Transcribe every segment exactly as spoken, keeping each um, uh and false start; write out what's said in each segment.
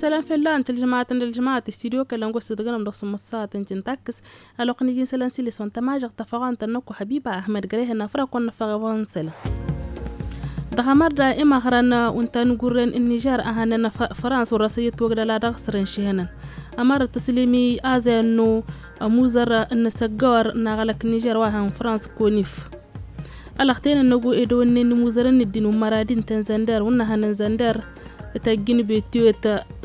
Isălan fălla-năt ălžămaatăn d-ălžămaat s-studio kălăn gosăt dăɣ-nămdăɣ s-măssaɣăt n-tintăkkǝs. Ălwăqq n-iji n-isălan s-ilis wa n-tămažăɣt tafăɣant ănnăku hăbiba ahmed gărehăn afraq wa n-năfăɣ i-wăn n-isălan. Dăɣ-amărda imăɣrăn wa n-tanugurren n-nižer a hannăn frans wăr-asăyyăt wăgdăla dăɣ-sărăn šihănăn. Amărăt tăslǝmi azăyăn-nu ămuzăr n-asăggăwăr n-aɣălăk n-nižer wa hăn frans konif. Ălăxten ănnăgu edăwănnen imuzărăn n-ǝddin wa n-măradi n-tăn-zănder wa n-năhăn n-zănder. Tăjjǝn betiwet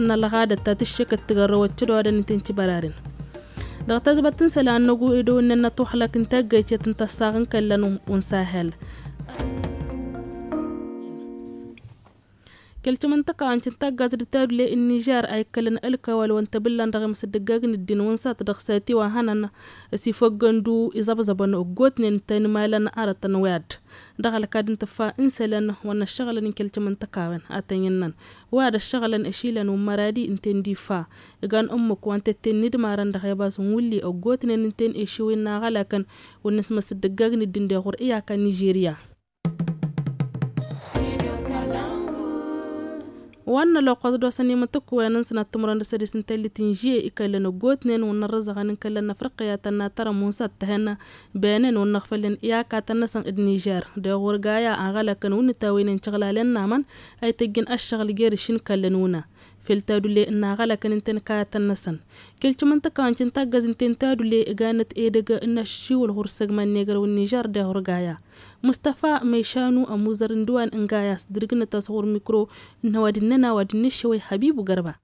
n-ălɣadăt ta tǝššekăt tǝgărrăwăt cădodăn n-tăn-cibăraren. Dăɣ-tazbăt n-isălan ănnăgu edăwănnen ătuxlăk n-taggăycet n-tăssaɣ n-kăllăn wa n-sahel. Kăl-timǝntăka wa n-cǝntaggaz d-tadule n-nižer a ikkălăn ălkăwăl wa n-tăbǝllan dăɣ-imǝsdǝggag n-ǝddin wa n-sat dăɣ-sati wa hănăn s-ifăggăn-du iẓăbẓăbăn ăggootnen tăn-imalăn arătăn wi ad-dăɣ-ălkad n-tǝffa n-isălan wa n-ăššăɣǝlăn n-kăl-timǝntăka-wen a tăn-innăn wi ad-ăššăɣǝlăn ešilăn wa n-măradi ǝnta-en d-ifa. Igan ǝmmǝk wa n-tetten n-idmarăn dăɣ-ebas n-wulli ăggootnen ǝnta-en ešiwin n-aɣălakăn wa n-inǝsmăs d-ǝggag n-ǝddin deɣ wăr iyyăk a nižerya. Wa n-ăloqqăẓ d-osăn imǝtǝkk-wen n-sănăt timǝrwen d-sădis n-tellit n-žie ikăllăn ăggootnen wa n-ărrǝzăɣăn n-kăllăn n-afriqya tănna tărămmun s-ad-tăhăn benen wa n-inăɣfălnen iyakatăn-năsăn d-nižer deɣ wăr gaya aɣălăkăn wa n-itawăynen căɣlalen n-amăn a ităjjăn ăššăɣǝl jer-išin kăllăn wǝna. Fel tadule n-aɣălăkăn ǝnta-en kayătăn-năsăn kăl-timǝntăka wa n-cǝntaggăz ǝnta-en tadule ǝganăt edăgg n-aššiwǝl ɣur-săgman n-egrăw n-nižer deɣ wăr gaya. Mustăfa mešanu ămuzăr n-dăwan n-gaya s-dăr-ǝgnăt a-s ɣur-mikro n-hăwadǝn-nănăɣ wa d-innăššăwăy hăbibu gărba.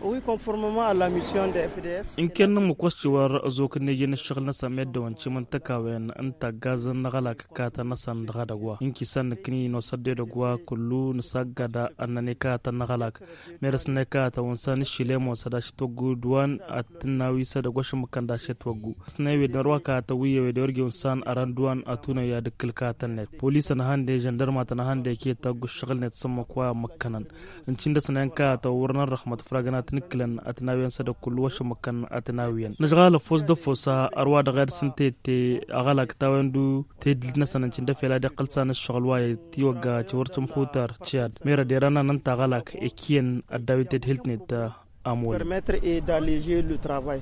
Wi konformăma a la mission de fds. Ǝnken n-ǝmmǝk wa s-tiwăr ăzok n-ejen ǝššăɣǝl-năsăn meddǝwăn timǝntăka-wen n-taggazăn n-aɣălak kayătăn-năsăn dăɣ-edăgg wa ǝnki s-ad-nǝkkǝni nosăr d-edăgg wa kullu nǝsaggad ad-nănăy kayătăn n-aɣălak. Merăs n-ekayătăn wa n-san iššilem wa s-ad-ašăt wăggu d-wan ad-tǝnnawi s-edăgg wa šǝmmǝkăn d-ašăt wăggu. S-năywed n-ărwa kayătăn wi ewed i-wăr ge wa n-san ărăn d-wan ad-tunăy ad-ǝkkǝl kayătăn-net polisăn a han-de žăndărmatăn a han-de ket taggu ǝššăɣǝl-net s-ǝmmǝk wa ămmǝkkănăn. Ǝncǝn dăɣ-săn i-inkayătăn wăr nărrăxmăt făragăn ad-tăn-ǝkkǝlăn ad-tǝnawiyăn s-edăgg kullu wa šǝmmǝkăn ad-tǝnawiyăn nǝžɣal ăffoos d-ăffoos. Ărwa dăɣ-e-dăɣ s-ǝnta i-dd-te aɣălak tawăyăn-du tedhǝlt-năsăn ǝncǝn d-efel ad-iqqǝl san ǝššăɣǝl wa i-tiwăgga ti wăr tǝmxutar. Ciyad mera derăn anăn tagălak ekiyăn ad-dawit tedhǝlt-net. Amol. Permettre et d'alleger le travail.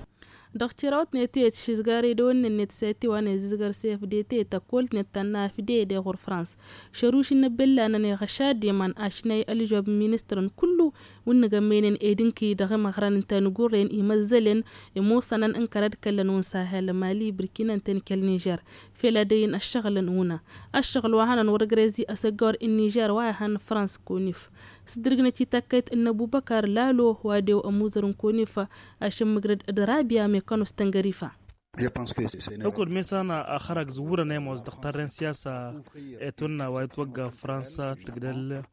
Dăɣ-tirawt-net i-ătšizgar edăwănnen-net s-etiwa n-ezǝzgăr s-efde tăkkolt-net tănna afde deɣ ɣur-frans. Šăruš n-ebellanăn iɣăšad iman ašnay ălžob n-ministărăn kullu wi n-nǝgămmăynen ed ǝnki dăɣ-imăɣrăn n-tanugurren imăzzălen imusănăn n-kărăd kăllăn wa n-sahel mali bǝrkinăn ten kăl-nižer. Fel ad-ăyy n-ăššăɣǝlăn wǝna ăššăɣǝl wa hănăn wăr-ǝgrezi asăggăwăr n-nižer wa ihăn frans konif. S-dd-ǝrgnăt i-takkăyt n-ăbubăkar lalo wa dew ămuzăr n-konif ašǝmmǝgrăd d-rabia mekănos tăngărifa. Ăkod mesan a xărag zǝwwǝrăn ămoos dăɣ-tarren siyasa. Etwănna wa itwăgga fransa tǝgdăl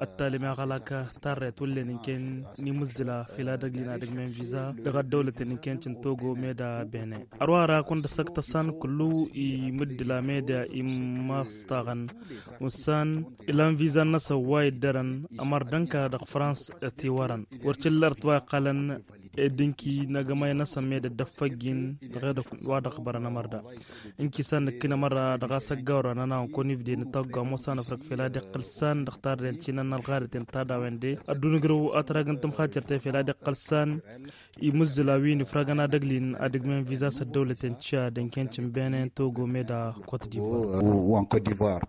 ăttalem i-aɣălak tarret wǝllen ǝnken n-imǝzzǝla fel ad-ăglin ad-ǝgmen viza dăɣ-ăddăwlăten ǝnken cǝntogo meda bene. Ărwara kundăsăk tăssan kullu imǝddǝla meda immăstaɣăn. Ussan ilan viza n-năsăn wa iddărăn ămărdănka dăɣ-frans. Tiwărăn wăr cǝllărăt wa iqqălăn ed ǝnki n-agămay-năsăn meddǝn d-ăffăjjin dăɣ-edăkk wa dăɣ-bărăn ămărda. Ǝnki s-ad-nǝkkǝn ămărra dăɣ-asăggawăr wa n-ănawăn kăwăn-ifde nǝtaggu ămoos anăfrăg fel ad-iqqǝl s-an dăɣ-tarren cinăn n-ălɣadăten tadawende ădduun ǝgrǝw atrag n-tǝmxaccărten fel ad-iqqǝl s-an. Imǝzzǝl a-wi n-ifragăn ad-ăglin ad-ǝgmen viza s-ăddăwlăten cad ǝnken cǝnbenen togo meda kot divoir.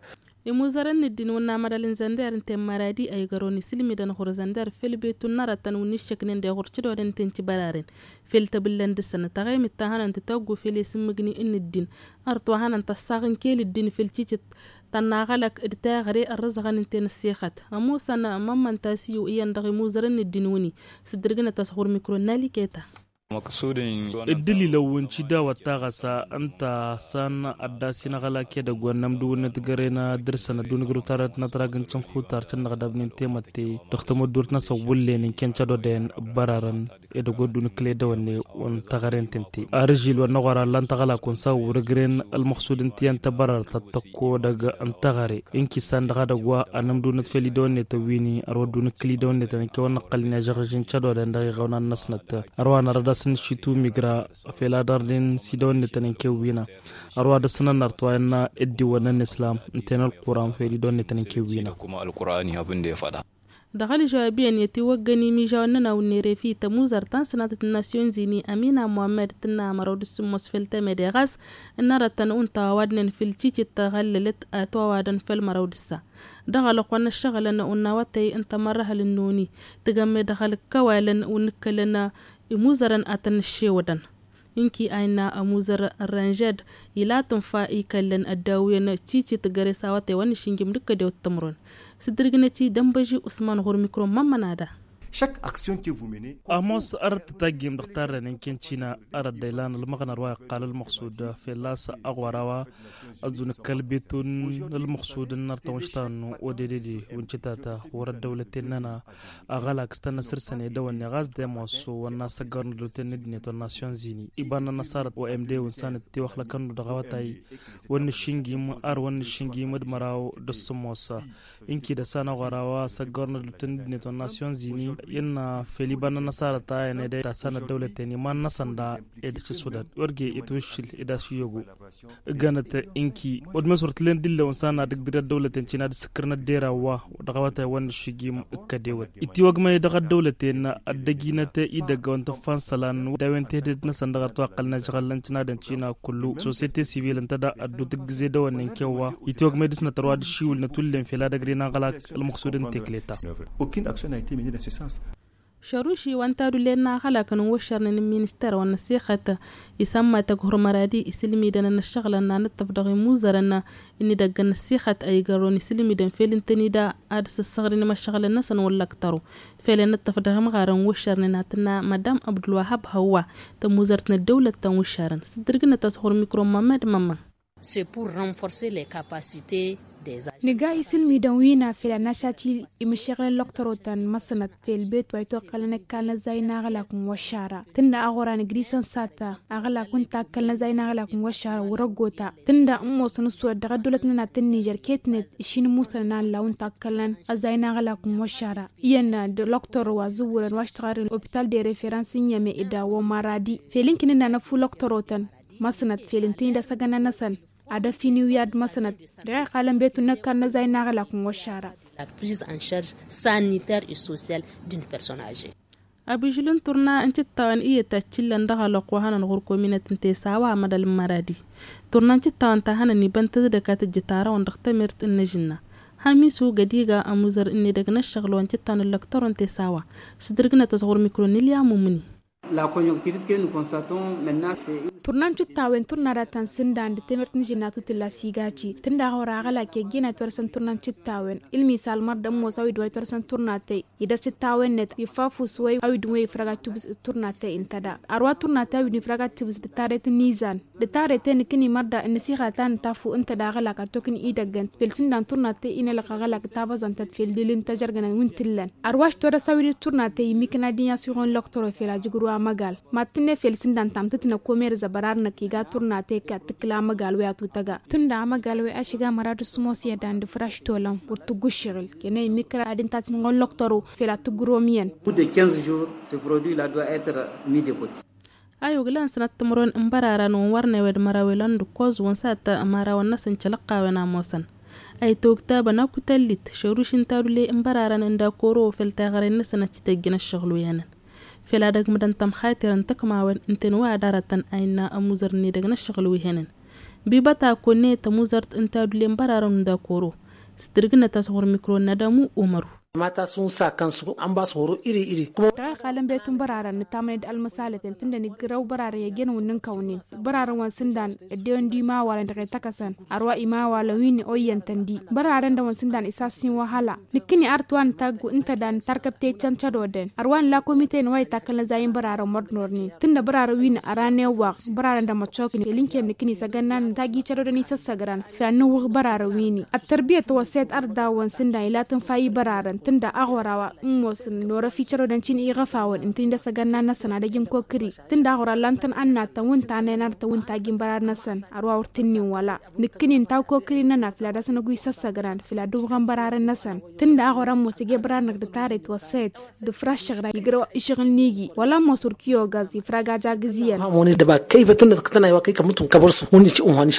Imuzărăn n-ǝddin wǝnna mădal n-zănder ǝnta i-măradi a igărăwăn isǝlmidăn ɣur-zănder făll-betu n-arătăn wǝnni ššăknen deɣ ɣur-cădodăn ǝnta i n-cibăraren. Făll-tăbǝllăn dăr-săn taɣaymit ta hănăn tǝtăggu făll-esǝmmǝgni n-ǝddin. Arăt wa hănăn tăssaɣ n-kel ǝddin făll-cicǝt tănna ăɣlăk d-taɣre ărrǝzăɣăn ǝnta i n-ăssexăt ămoosăn. Mămmăn tasiyu iyyăn dăɣ-imuzărăn n-ǝddin wǝnni s-dd-ǝrgǝnăt a-s ɣur-mikro n-aliketa. Ǝddǝlilăn wi n-cidawăt taɣăsa ǝnta a-s an ăddas-in aɣălak edăgg wa n-inămdǝwǝnnăt găren ad-dăr-săn ădduun ǝgrǝw tarrăt n-atrag n-cǝnxutar cǝnnăɣdăbnen temătte dăɣ-tamăddurt-năsăn wǝllen ǝnken cădodăyăn. Bărărăn edăgg wa ădduun ǝkkǝl edăwănne wa n-taɣăre n-tente. Arǝžil wa n-năɣora ǝllan taɣălak wa n-sawwǝr ǝgren ălmăxsud ǝnta iyyăn tăbărărt ad-tăkko edăgg n-taɣăre. Ǝnki s-an dăɣ-edăgg wa ănămdǝwǝnnăt fel idăwănnetăn wi n-ărwa ădduun ǝkkǝl idăwănnetăn ǝnke wa n-năqqălnen ažăɣǝžin cădodăyăn dăɣ-iɣăwnan-năsnăt. Ărwa nărăd-asăn šitu migra fel ad-ărden s-idăwănnetăn ǝnke wi n-a ărwa dăr-săn ănnărtwayăn n-eddiwăn n-islam ǝnta i n-ălquran fel idăwănnetăn ǝnke wi n-a. Dăɣ-ălžăwab iyyăn i-ătiwăggăn imižawăn n-ănawăn n-erefi tămuzărt ta n-sănatăt n-nasyon zini amina muhammed tǝnna măraw d-sǝmmos fel temede ɣas ǝnnărătăn untawa wadnen fel cicit tăɣăllălăt ătwawadăn fel măraw d-ǝssa. Dăɣ-alăqwăn n-ăššăɣǝlăn unnawătăy n-tamărrăhăl n-noni tǝgămme dăɣ-alăkkăwalăn wǝnnǝkkălăn imuzărăn ad-tăn-nǝššewădăn. Inki a innă ămuzăr ărrănžed ila tǝnfa ikăllăn ăddawǝyăn cicit găre s-awătay wa n-išǝnjǝm d-kădewăt tǝmrun. Sǝddǝrgǝnăt-i dănbăži usman ɣur-mikro n-mămmănada. Ămoos ărăt tătajjim dăɣ-tarrăyăn n-kăncina ărăt dăylan ălmăɣnăr wa iqqal ălmăqsud fălla-s aɣora wa ăzun kăl-bitun ălmăqsud n-artăwăn štanu odedede wǝncǝtata wăr-ăddăwlăten-nănăɣ. Aɣălak s-tăn-năsărsăn edăwănne ɣas d-ămoos wănna săggărăn ăddăwlăten n-ăddinăt wăr-nasyon zini iba n-anăsarăt omd wǝnsanăt tiwăxlăkăn-nu dăɣ-awătay wăr nǝššǝnjim ar wăr nǝššǝnjim d-măraw d-ăssămosa. Inki d-ăssan aɣora wa săggărăn ăddăwlăten n-ăddinăt wăr-nasyon zini innă fel iba n-anăsarăt a ăned ed assan ăddăwlăten iman-năsăn da ed ašăsudăt wăr ge itwǝššǝl ed ašǝyyăgu. Ǝgganăt inki wăr d-mes wăr t-len d-illăwăn s-ad-nădǝgdǝr ăddăwlăten cina d-sǝkkărnăt d-era wa dăɣ-awătay wa n-iššǝjim ǝkkădewăt itiwăgmăy dăɣ-ăddăwlăten. Ăddăjinăt idăgg a wăn tǝffan isălan d-a-wen tehded-năsăn dăɣ-ătwăqqălăn ažɣăl n-tinadăn cina kullu sosyete sivil ǝnta da ăddu tǝggǝze dăwănnen kew wa itiwăgmăy dăɣ-s nătărwa d-ašiwǝl n-atullem fel ad-ăgg ren aɣălak ălmăqsud n-tekleta. Aucune action n'a été menée dans ce sens. Šăruši wa n-tadullen n-aɣălakăn n-wăššărnen n-minister wa n-ăssixăt isămma tăghurmăradi isǝlmidăn n-ăššăɣǝlăn n-anǝṭṭăf dăɣ-imuzărăn n-idăgg n-ăssixăt a igărrăwăn isǝlmidăn fel ǝntănida ad-sǝssăɣrǝn imăššăɣǝlăn-năsăn wăllăktăru. Fel inǝṭṭăf dăɣ-imɣarăn n-wăššărnen ad-tǝnna madam abdulwahab hăwwa tămuzărt n-ăddăwlăt ta n-wăššărăn s-dd-irgǝnăt-as ɣur-mikro n-mămmed mămma. Nǝga isǝlmidăn wi n-afǝl ănašat imǝššeɣlăn lăktărotăn măsnăt fel bet wa itwăqqălăn ăkall n-ăzzay n-aɣlak n-wăššara tǝnna aɣora nǝgri săn sata aɣlak wi n-takkăl n-ăzzay n-aɣlak n-wăššara wăr-ăggota tǝnna ǝmmosăn s-wăr dăɣ-ăddăwlăt n-ănat n-nižer ketnet ǝššin musănăn a n-law n-takkălăn ăzzay n-aɣlak n-wăššara iyyăn d-lăktăro wa zǝwwǝrăn wa ăštăɣarăn opital de referans n-yăme ed awămaradi fel ǝnkǝnǝnna n-ăffu lăktărotăn măsnăt fel ǝntǝni d-asăgănna-năsăn ad-ăfin iwǝyad măsnăt dăɣ-iqalăn betu n-ăkall n-ăzzay n-aɣlak n-wăššara. La prise en charge sanitaire et sociale d'une personne âgée. Abižǝl n-turna n-tiṭṭawăn iyyăt a t-illăn dăɣ-alăqq wa hănăn ɣur-kominăt n-tesawa amădal n-măradi turna n-tiṭṭawăn ta hănăn ibăn tǝzdăk a tǝjjǝt arăwăn dăɣ-tamirt n-inǝžǝnna. Hamisu gădiga ămuzăr n-edăgg n-ăššăɣǝl wa n-tiṭṭawăn n-lăktărăn tesawa s-dd-irgǝnăt-as ɣur-mikro n-ilya mumǝni. Turna n-tiṭṭawen turna da ta n-sǝndan d-temert n-žǝnnatu tǝlla s-igaci tǝnda ɣur-aɣălak i-ăjjeenat wa dăr-săn turna n-tiṭṭawen ǝlmisal mărda ămoos a-wi d-wa itwăr-săn turnatăy idăr tiṭṭawen-net iffafus wăy a-wi d-wăy ifrăgaj tubǝs d-turnatăy ǝnta da. Ărwa turnatăy a-wi d-ifrăgaj tubǝs d-taret n-izan d-taret-en ǝkǝn-i mărda ǝnnăsiɣa ta n-tafu ǝnta d-aɣălak ad-tokǝn idăggăn fel sǝndan turnatăy inălăɣ aɣălak tabăẓantăt fel dil n-tajărgănăn wi n-tǝllăn. Ărwa aštor a-s a-wi d-turnatăy immǝkna d-inyas iɣon lăktăro fel ajǝgrǝw amăgal mad-tǝnnǝy fel sǝndan tamtǝtnăk omer zăbărar-năk iga turnatăy kad-tǝkkǝl amăgal wi atutăga tǝnda amăgal wi ašǝga mărad s-sǝmos i-ădan d-ifraš tolăn wăr tǝggu ǝššăɣǝl kănăy immǝkra ad-ǝntatǝm iɣon lăktăro fel ad-tǝggǝrom iyyăn. Au bout de quinze jours ce produit-là doit être mis de côté. Ayug lan sănăt timǝrwen n-bărarăn wăn wăr n-ewed măraw ilăn d-ǝkkoẓ wăn s-ad-tămarawăn n-asǝncăl ǝqqawen a ămoosăn a itogtabăn akutăllit šăruš n-tadule n-bărarăn n-dakoro fel taɣăre-năsăn ad-t-tăjjăn ǝššăɣǝl wi hănăn fel ad-ăgmǝdăn tămxater n-tăkmawen ǝnta-en wa ad-arătăn a innă ămuzăr n-edăgg n-ǝššăɣǝl wi hănăn. Bibăt a konne tămuzărt n-tadule n-bărarăn n-dakoro s-dd-irgǝnăt-as ɣur-mikro n-adămu umăru. Mata s-un sakăn s-ănbas horo iri-iri. Dăɣ-iqalăn betun bărarăn nǝtamăne d-almăsalăten tǝndăn igrăw bărarăn i-ăjjeen wǝnnǝnkăwnen bărarăn wa n-sǝndan ăddewen d-imawalăn dăɣ-i tăkăsăn ărwa imawalăn wi n-oyyăn-tăn di bărarăn dăɣ-wa n-sǝndan isassin wăhala. Nǝkkǝni arăt wa nǝtaggu ǝnta da nǝtarkăb teccăn cădodăn ărwa nǝla komiten wa itakkălnăzay n-bărarăn mărdnornen tǝnna bărarăn wi n-ăranewaɣ bărarăn dăɣ-măccoknen fel ǝnken nǝkkǝni s-ăgg-ănnan nǝtajji cădodăn isăssăgrăn. Fel ad-nǝwwǝɣ bărarăn wi-ni ăttărbiyăt wa s-ed arăt daw-wa n-sǝndan ila tǝnfa i-bărarăn tǝnda aɣora wa n-mosăn norăf i-cădodăn cin iɣăfawăn ǝntǝni dăr-s ăgg-ănnan-năsăn ad-ăj n-kokri tǝnda aɣora ǝllan-tăn ănnattăn wi n-tannen arătăn wi n-tajjin bărarăn-năsăn. Ărwa wăr t-ǝnnin wăla nǝkkǝnin tawkokri-nănăɣ fǝla dăr-s nǝgwi s-ăssăgran fǝla dăɣ-wăɣăn bărarăn-năsăn. Tǝnda aɣora ămoos ige bărarăn dăɣ-tătaret wa s-ed d-ifraš šăɣra igrăw išăɣǝl n-igi wăla ămoos wăr kiyogaz ifrag ajagǝz iyyăn. Mămoni dăba kăyfăt tǝnnăt kătănay wa kăy-kămǝtǝw kăbăr s-hun ici unhaniš.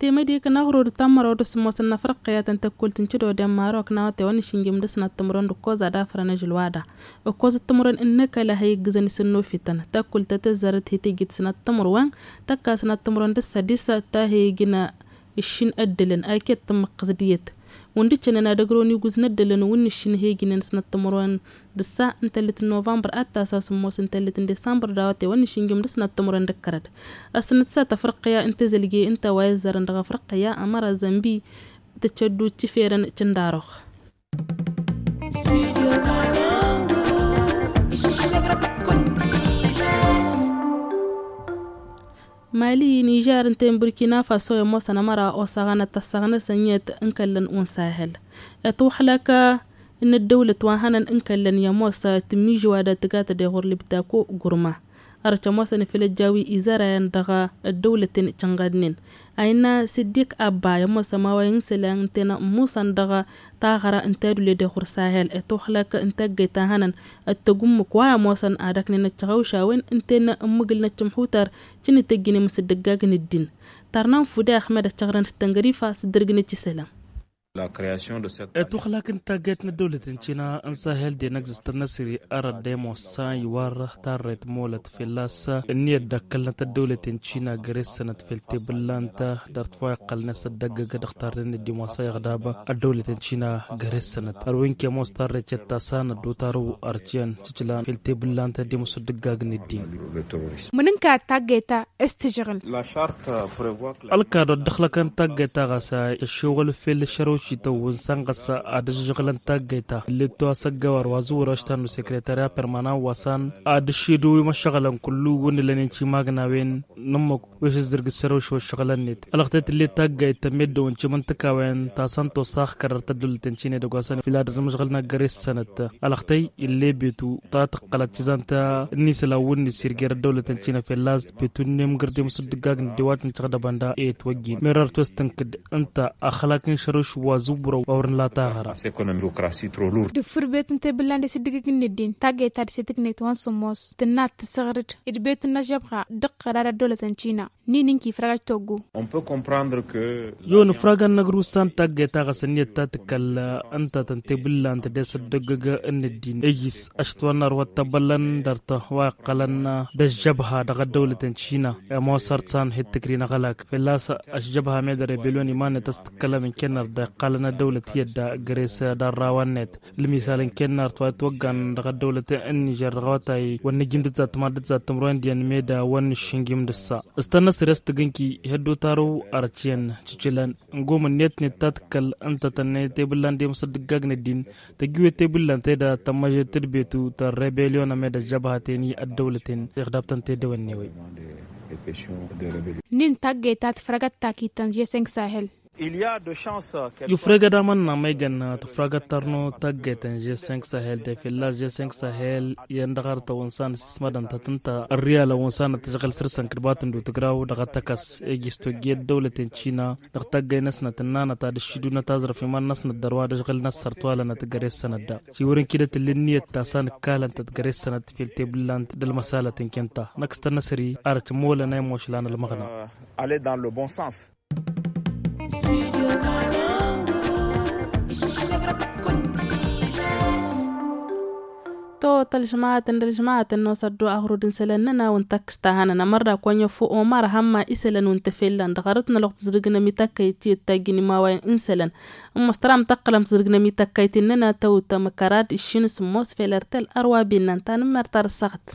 Temădek n-aɣrud tamăraw d-asǝmmos n-afrăqqăyat n-tăkkult n-cǝdo d-emmarok n-awătay wa n-išǝnjǝm d-asnat timǝrwen d-ǝkkoẓ ad-afrăn ažǝlwada. Ǝkkoẓ timǝrwen n-năkăla ha-iggǝzăn-isǝnnofităn tăkkult ta tǝzzarăt hi-tijit asnat timǝrwen tăkka asnat timǝrwen d-ǝssădis ta ha-igǝn iššin ăddălăn a iket tǝmmǝqqǝs d-iyyăt. Wǝndǝččănăn ad-ăgrăwăn igǝz n-ăddălăn wǝnnǝššǝn ha-igǝnen asnat timǝrwen d-ǝssa n-tăllit n-novămbăr ad-tasa sǝmmos n-tăllit n-disămbăr d-awătay wa n-išǝnjǝm d-asnat timǝrwen d-ǝkkărăd. Ăssănăt s-ad-tafrăqqǝya n-tezălge ǝnta wa izzărăn dăɣ-afrăqqǝya ămăra zănbi tǝccăddu d-tiferăn cǝndarux. Mali nižer ǝnta i-n burkina faso i-ămoosăn ămăra osaɣăn ad-tăssăɣnăsăn iyyăt n-kăllăn unsahel. Itwăxlăk n-ăddăwlăt wa hănăn n-kăllăn i-ămoos tǝmmižǝwa d-ad-tǝgatăd i-ɣur-libtako gurma. Ărăt ămoosăn ifăl ăjjawi izărayăn dăɣ-ăddăwlăten cănɣădnen. A innă siddik abba i-ămoos ămaway n-isălan ǝnta i-nămmusăn dăɣ-taɣăra ǝnta i-ad-uled i-ɣur-sahel itwăxlăk n-taggăyt ta hănăn ăttăgummǝk wa i-ămoosăn ad-ăknen ăccăɣăwšawen ǝnta i-nămmǝgǝl n-ăccǝmxutar cǝnnǝt ăjjǝnem s-dd-ăggagǝn ǝddin. Tărnan fude ahmed ăccăɣrăn s-tăngărifa s-dd-ărgǝnăt isălan. Itwăxlăk n-taggăyt n-ăddăwlăt n-cina n-sahel d-enăgzăs tănnăsri arăt d-emos sa iwar tarret molăt fălla-s ǝnniyăt d-ăkkălnăt ăddăwlăt n-cina găre-sănăt fel tebǝllant dăr-t wa iqqălnen s-ăddăggăg dăɣ-tarren d-imosa iɣdab ăddăwlăt n-cina găre-sănăt ărwin kemos tarret căttasan ăddotarăw ărciyăn cǝclan fel tebǝllant d-emos dd-ǝggagn ăddin. Mǝnǝnka taggăyt-a s-tǝžžăɣǝl. Ălkad wa dd-ăxlăkăn taggăyt-a ɣas a tăššewăl fel šărăwšităn wi n-sănɣăs ad-ǝžžăɣǝlăn taggăyt-a ǝllet-tu asăggawar wa zǝwwăr aštan n-sekretarya permanan wa s-an ad-ǝššedăw imăššăɣǝlăn kullu wǝnnǝlăn i-n-timagnawen n-ǝmmǝk wi s-ǝzzǝrgǝd šărăwši wa ǝššăɣǝlăn-net. Ălăɣtăy tǝllet taggăyt tămmeddăwăn timǝntǝkawen ta s-an tosax kărar tăddulăt n-tine dăgg-wa s-an fila dăr-imǝžɣǝl n-agăre s-sănăt. Ălăɣtăy ill'-e betu ta tǝqqălăt cizant n-isălan wǝnni s-irger ăddăwlăt n-cina fălla-s d-betu n-emgǝr d-emǝsǝddǝggag n-ăddiwat n-căɣdăbăn da e-ătwăjjin merăr tostă n-kǝdd ǝnta ăxlak n-išărǝš wa zǝwwărăw a wărăn la taɣăra. D-ǝffǝr betu n-tebǝllan d-esǝddǝgǝg n-ăddin taggăyt ta dăr-s e-tǝknet wa n-sǝmmos tǝnna ad-tǝsǝɣrǝd d-betu n-ažžăbha d-ǝqqăra d-ăddăwlăt n-cina. Nin ǝnki ifrăgăj toggu. Yon ifragăn n-ăgrus ta n-taggăyt a ɣas ǝnniyăt ta tǝkkăl ǝnta tăn-tebǝllan tăddes ăddoggăg n-ăddin ejjis ăštwănnar wa t-ăbbăllăn dăr-tăh wa iqqălăn d-ăžžăbha dăɣ-ăddăwlăt n-cina. Ămoos ărsan hi-tǝkri n-aɣălak fălla-s ăžžăbha med rebelyon iman-net a-s tǝkkălăm ǝnkennăr dd-iqqalăn ăddăwlăt iyyăt d-agres d-arrawăn-net. Lǝmisal ǝnkennăr t-wa itwăggan dăɣ-ăddăwlăt n-nižer dăɣ-awătay wa n-nǝjjǝm d-ǝzzat timaḍ d-ǝzzat timǝrwen d-iyyăn meda wa n-nǝššǝnjǝm d-ǝssa. S-tănnăsre a-s tǝgǝnki ihăddu tarăw arăt iyyăn cǝcǝlăn n-gom ǝnniyăt-net ta tǝkkăl ǝnta tănnăy tebǝllan d-emǝsăddǝggag n-ăddin tăjjǝwet tebǝllan tedăt tămmăžet d-betu tăr-rebelyon ămed ăžžăbha teni ăddăwlăten. Iɣdab-tăn tedăwănne-wen. Nin taggăyt ta tǝfrăgăt takit ta n-žeseng sahel. Yufreg ad-amănna ma igan tǝfragăt tarno taggăyt n-žeseng sahel de filla žeseng sahel iyyăn dăɣ-arăt awǝnsan s-ismădăn ta tǝnta ărriyal awǝnsan ad-tǝžɣǝl săr-săn kǝdbat n-dutǝgraw dăɣ-atăkăs ejis tojje d-dăwlăt n-cina dăɣ-taggăy-năsnăt ǝnnanăt ad-ǝššǝdunăt aẓrăf iman-năsnăt dăr-wa d-ăžɣǝl-năt săr-t walănăt găre-sănăt da. Ši wăr-ǝnkidăt ǝlli ǝnniyăt ta s-anǝkkalăn-tăt găre-sănăt fel tebǝllant d-ălmăsalăt n-kenta năkk s-tănnăsări arăt molăn a imošlan ălmăɣna. To tălžmaatăn d-ălžmaatăn n-osăddu aɣrud n-isălan-nănăɣ wa n-takkǝst ta hănăn ămărda kăwăn-yăffu omar hămma isălan wa n-tefellăn dăɣ-arăt n-ălwăqq tǝzrǝgnăm i-takkăyt tiyyăt tajjǝn imawayen n-isălan. Ămoos tăra mtăqqălăm tǝzrǝgnăm i-takkăyt-in-nănăɣ tăwt amăkărad iššin s-ămoos fel ărtel ărwa binnăn tanǝmmert ar ăssaɣăt.